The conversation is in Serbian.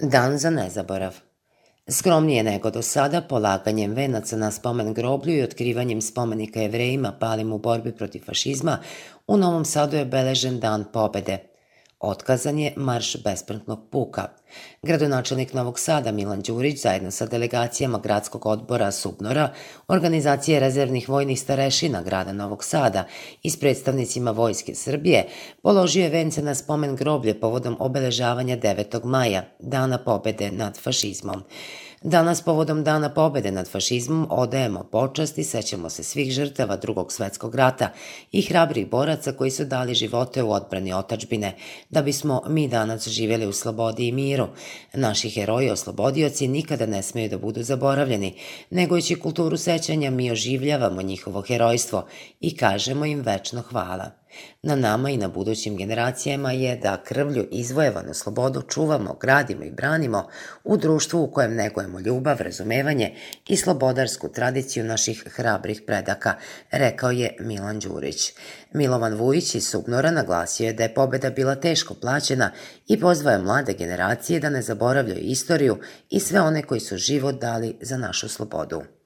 Dan za nezaborav. Skromnije nego do sada, polaganjem venaca na spomen groblju i otkrivanjem spomenika Jevrejima palim u borbi protiv fašizma, u Novom Sadu je beležen Dan pobede. Otkazan je marš besprntnog puka. Gradonačelnik Novog Sada Milan Đurić zajedno sa delegacijama gradskog odbora SUBNOR-a, organizacije rezervnih vojnih starešina grada Novog Sada i s predstavnicima Vojske Srbije položio je vence na spomen groblje povodom obeležavanja 9. maja, Dana pobede nad fašizmom. Danas, povodom Dana pobede nad fašizmom, odajemo počast i sećamo se svih žrtava Drugog svetskog rata i hrabrih boraca koji su dali živote u odbrani otadžbine, da bismo mi danas živjeli u slobodi i miru. Naši heroji oslobodioci nikada ne smeju da budu zaboravljeni, negujući kulturu sećanja mi oživljavamo njihovo herojstvo i kažemo im večno hvala. Na nama i na budućim generacijama je da krvlju izvojevanu slobodu čuvamo, gradimo i branimo u društvu u kojem negujemo ljubav, razumevanje i slobodarsku tradiciju naših hrabrih predaka, rekao je Milan Đurić. Milovan Vujić iz SUBNOR-a naglasio je da je pobeda bila teško plaćena i pozvao je mlade generacije da ne zaboravljaju istoriju i sve one koji su život dali za našu slobodu.